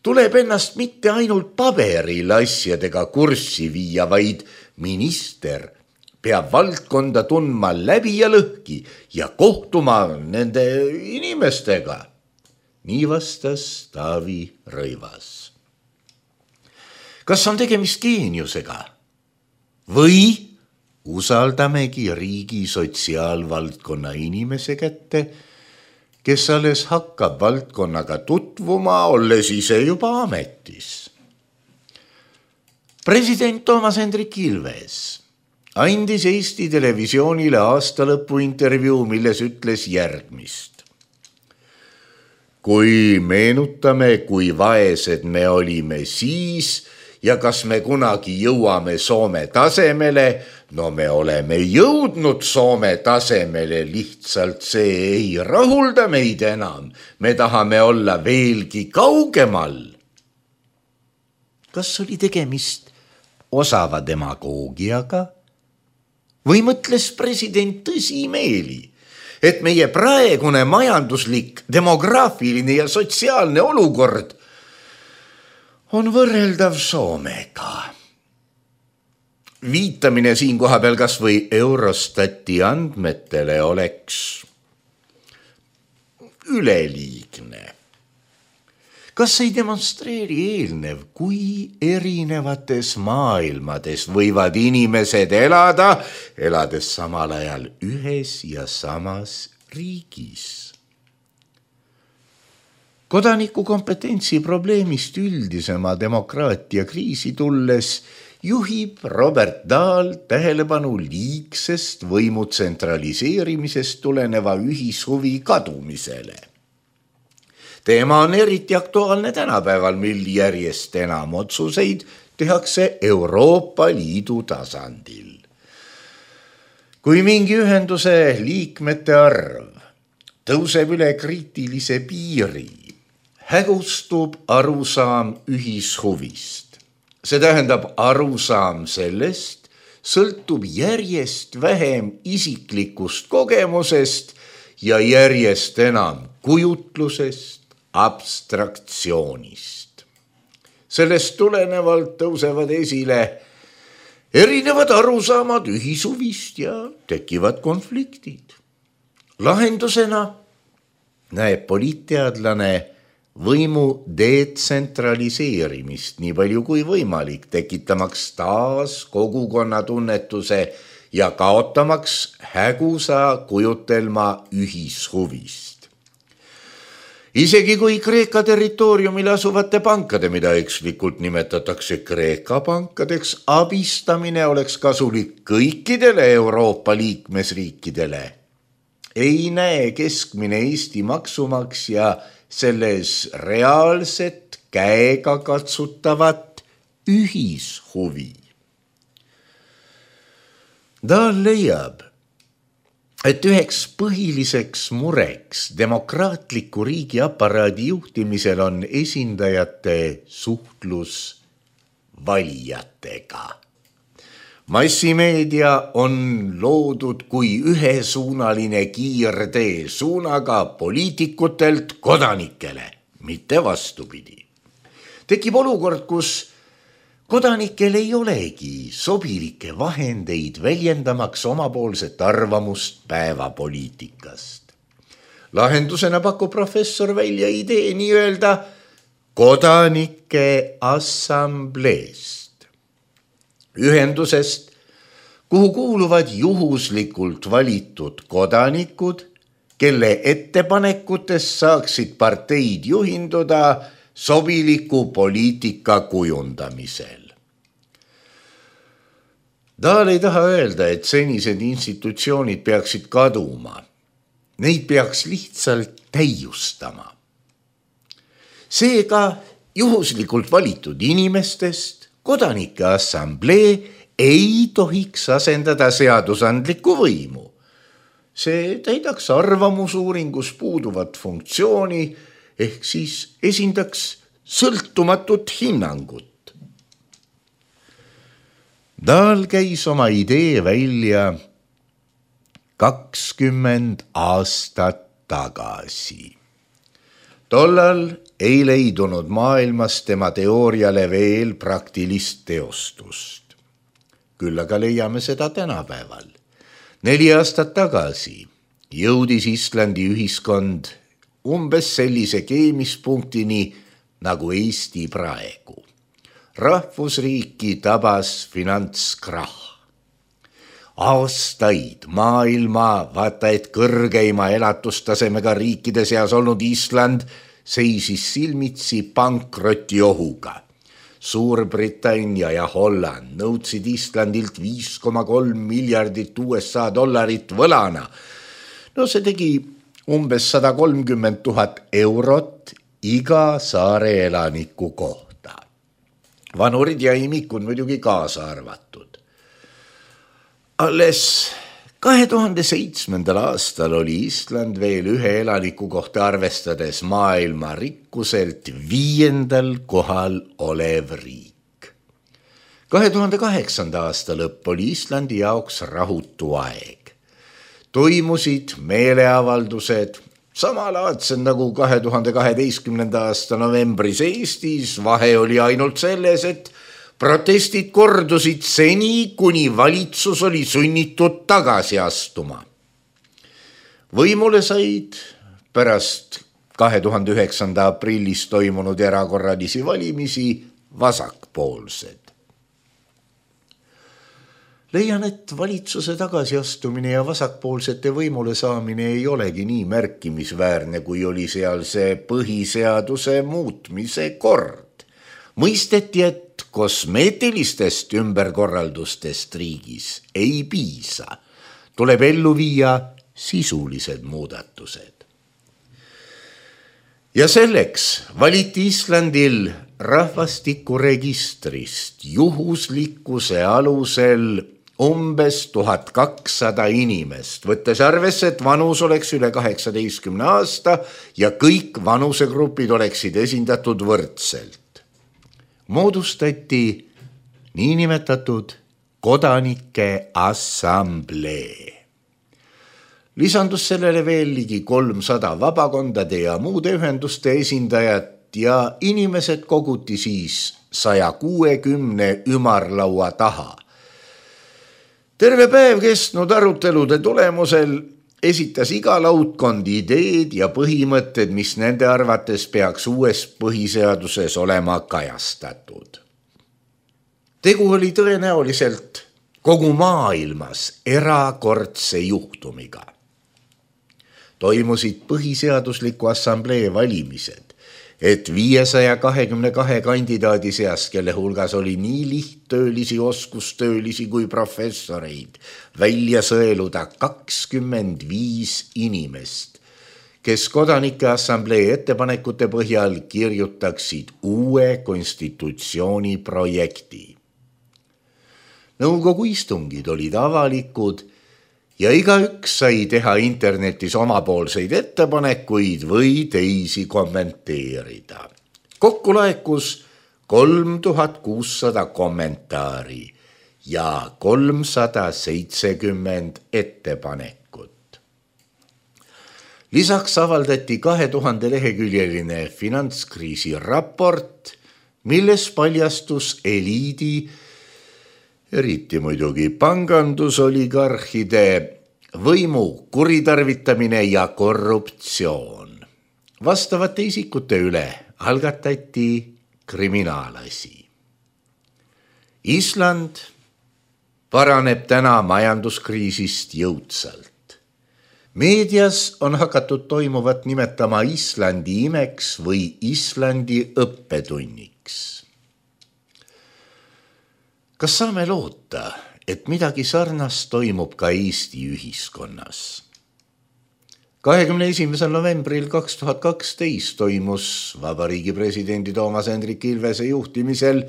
tuleb ennast mitte ainult paberil asjadega kurssi viia, vaid minister peab valdkonda tundma läbi ja lõhki ja kohtuma nende inimestega. Nii vastas Taavi Rõivas. Kas on tegemist geeniusega? Või usaldamegi riigi sotsiaalvaldkonna inimese kätte, kes alles hakkab valdkonnaga tutvuma, olles ise juba ametis? President Toomas Hendrik Ilves andis Eesti Televisioonile aastalõpu intervjuu, milles ütles järgmist. Kui meenutame, kui vaesed me olime siis ja kas me kunagi jõuame Soome tasemele, no me oleme jõudnud Soome tasemele, lihtsalt see ei rahulda meid enam. Me tahame olla veelgi kaugemal. Kas oli tegemist osava demagoogiaga? Või mõtles president tõsimeeli, et meie praegune majanduslik, demograafiline ja sotsiaalne olukord on võrreldav Soomega? Viitamine siin kohapeal kas või Eurostati andmetele oleks üleliigne. Kas ei demonstreeri eelnev, kui erinevates maailmades võivad inimesed elades samal ajal ühes ja samas riigis? Kodaniku kompetentsi probleemist üldisema demokraatia kriisi tulles juhib Robert Dahl tähelepanu liigsest võimu tsentraliseerimisest tuleneva ühishuvi kadumisele. Teema on eriti aktuaalne tänapäeval, mil järjest enam otsuseid tehakse Euroopa Liidu tasandil. Kui mingi ühenduse liikmete arv tõuseb üle kriitilise piiri, hägustub arusaam ühishuvist. See tähendab, arusaam sellest sõltub järjest vähem isiklikust kogemusest ja järjest enam kujutlusest, abstraktsioonist. Sellest tulenevalt tõusevad esile erinevad arusaamad ühishuvist ja tekivad konfliktid. Lahendusena näeb poliitteadlane võimu detsentraliseerimist nii palju kui võimalik, tekitamaks taas kogukonna tunnetuse ja kaotamaks hägusa kujutelma ühishuvist. Isegi kui Kreeka territooriumil asuvate pankade, mida ekslikult nimetatakse Kreeka pankadeks, abistamine oleks kasulik kõikidele Euroopa liikmesriikidele, ei näe keskmine Eesti maksumaksja selles reaalset käega katsutavat ühishuvi. Ta leiab, et üheks põhiliseks mureks demokraatliku riigi aparaadi juhtimisel on esindajate suhtlus valijatega. Massimeedia on loodud kui ühesuunaline kiirtee suunaga poliitikutelt kodanikele, mitte vastupidi. Tekib olukord, kus kodanikel ei olegi sobilikke vahendeid väljendamaks omapoolset arvamust päevapoliitikast. Lahendusena pakub professor välja idee nii-öelda kodanike assambleest. Ühendusest, kuhu kuuluvad juhuslikult valitud kodanikud, kelle ettepanekutest saaksid parteid juhinduda sobiliku poliitika kujundamisel. Dahl ei taha öelda, et senised institutsioonid peaksid kaduma. Neid peaks lihtsalt täiustama. Seega juhuslikult valitud inimestest kodanike assamblee ei tohiks asendada seadusandlikku võimu. See täidaks arvamusuuringus puuduvat funktsiooni ehk siis esindaks sõltumatut hinnangut. Dahl käis oma idee välja 20 aastat tagasi. Tollal ei leidunud maailmas tema teooriale veel praktilist teostust. Küll aga leiame seda tänapäeval. 4 aastat tagasi jõudis Islandi ühiskond umbes sellise keemispunktini nagu Eesti praegu. Rahvusriiki tabas finantskrahh. Aastaid maailma vaata et kõrgeima elatustasemega riikide seas olnud Island seisis silmitsi pankroti ohuga. Suurbritannia ja Holland nõudsid Islandilt 5,3 miljardit USA dollarit võlana. No see tegi umbes 130 000 eurot iga saare elaniku kohta. Vanurid ja imikud muidugi kaasa arvatud. Alles 2007. aastal oli Island veel ühe elaniku kohta arvestades maailma rikkuselt 5. kohal olev riik. 2008. aasta lõpp oli Islandi jaoks rahutu aeg. Toimusid meeleavaldused, samalaadsed nagu 2012. aasta novembris Eestis. Vahe oli ainult selles, et protestid kordusid seni, kuni valitsus oli sunnitud tagasi astuma. Võimule said pärast 2009. aprillis toimunud erakorralisi valimisi vasakpoolsed. Leian, et valitsuse tagasiastumine ja vasakpoolsete võimule saamine ei olegi nii märkimisväärne, kui oli seal see põhiseaduse muutmise kord. Mõisteti, et kosmeetilistest ümberkorraldustest riigis ei piisa. Tuleb ellu viia sisulised muudatused. Ja selleks valiti Islandil rahvastikuregistrist juhuslikkuse alusel umbes 1200 inimest, võttes arvesse, et vanus oleks üle 18 aasta ja kõik vanusegrupid oleksid esindatud võrdselt. Moodustati niinimetatud kodanike assamblee. Lisandus sellele veel ligi 300 vabakondade ja muude ühenduste esindajat ja inimesed koguti siis 160 ümarlaua taha. Terve päev kestnud arutelude tulemusel esitas iga laudkond ideed ja põhimõtted, mis nende arvates peaks uues põhiseaduses olema kajastatud. Tegu oli tõenäoliselt kogu maailmas erakordse juhtumiga. Toimusid põhiseadusliku assamblee valimised, et 522 kandidaadi seast, kelle hulgas oli nii lihttöölisi, oskustöölisi kui professoreid, välja sõeluda 25 inimest, kes kodanike assamblee ettepanekute põhjal kirjutaksid uue konstitutsiooni projekti. Nõukogu istungid olid avalikud ja igaüks sai teha internetis omapoolseid ettepanekuid või teisi kommenteerida. Kokku laekus 3600 kommentaari ja 370 ettepanekut. Lisaks avaldati 2000 leheküljeline finantskriisi raport, milles paljastus eliidi, eriti muidugi pangandusoligarhide võimu kuritarvitamine ja korruptsioon. Vastavate isikute üle algatati kriminaalasi. Island paraneb täna majanduskriisist jõudsalt. Meedias on hakatud toimuvat nimetama Islandi imeks või Islandi õppetunniks. Kas saame loota, et midagi sarnast toimub ka Eesti ühiskonnas? 21. novembril 2012 toimus Vabariigi presidendi Toomas Hendrik Ilvese juhtimisel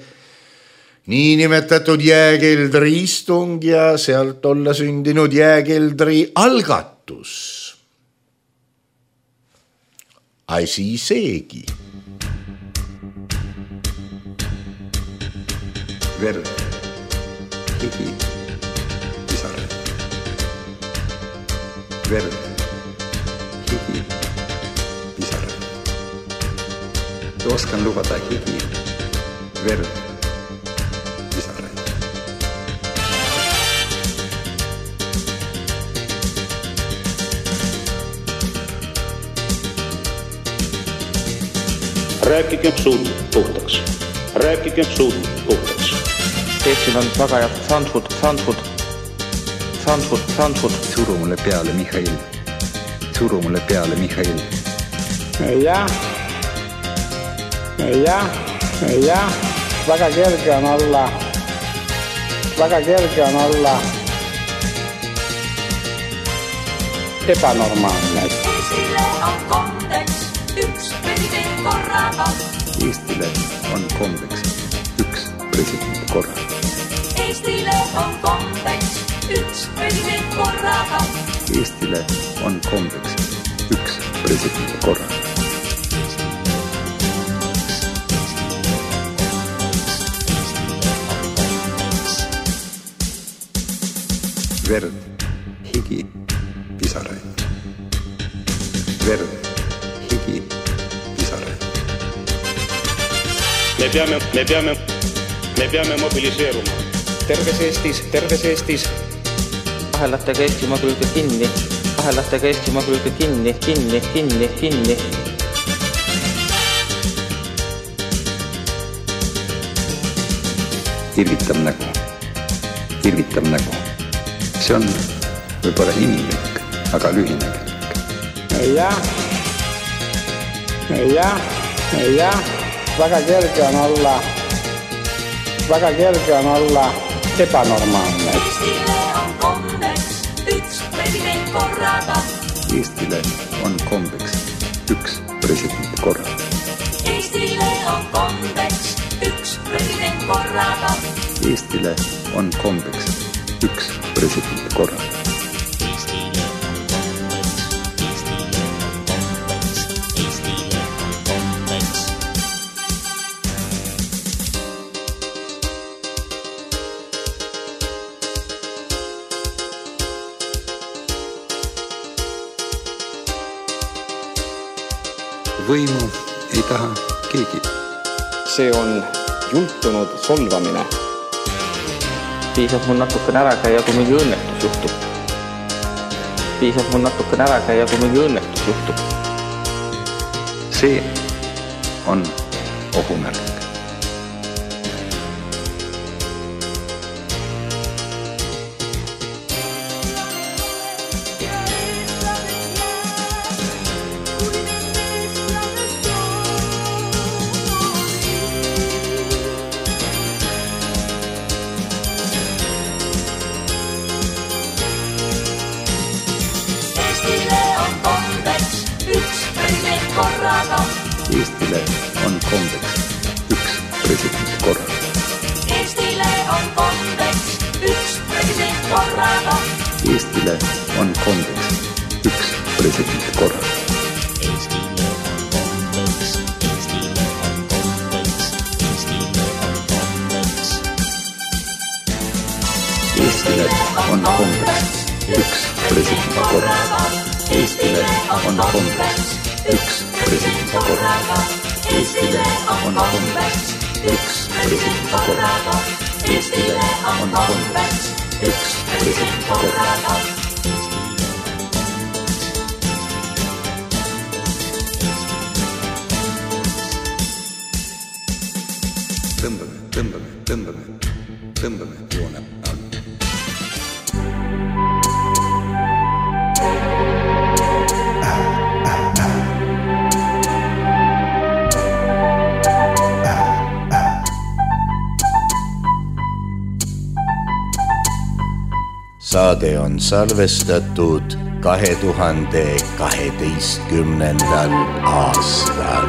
niinimetatud jääkeldri istung ja sealt olla sündinud jääkeldri algatus. Asi seegi. Verd, higi, pisare. Verd, higi, pisare. Oskan lubada higi, verd, pisare. Rääkigem suud puhtaks. Rääkigem suud puhtaks. Eestil on väga head Sandsford. Suru mulle peale, Mihhail. Suru mulle peale, Mihhail. Jah. Väga kerge on olla ebanormaalne. Eestile on kombeks üks president korraga. Eestile on kombeks üks president korraga. Eestile on kombeks üks president korraga. Eestile on kombeks üks president korraga. Verd, higi, pisaraid. Verd, higi, pisaraid. Me peame mobiliseeruma. Terves Eestis. Ahelatega Eestimaa külge kinni. Irvitab nägu. See on võib-olla inimlik, aga lühinägelik. Jah. Väga kerge on olla ebanormaalne. Eestile on kombeks üks president korraga. Eestile on kombeks üks president korraga. Eestile on kombeks üks president korraga. Eestile on kombeks üks president korraga. Võimu ei taha keegi. See on jultunud solvamine. Piisab mul natukene ära käia, kui mingi õnnetus juhtub. See on ohumärk. Eestile on kombeks üks president korraga. Eestile on kombeks üks president korraga. Eestile on kombeks üks president korraga. Eestile on kombeks üks president korraga. Eestile on kombeks üks president korraga. Eestile on kombeks üks president korraga. Eestile on kombeks üks president korraga. tõmbame joone alla. Saade on salvestatud 2012. aastal.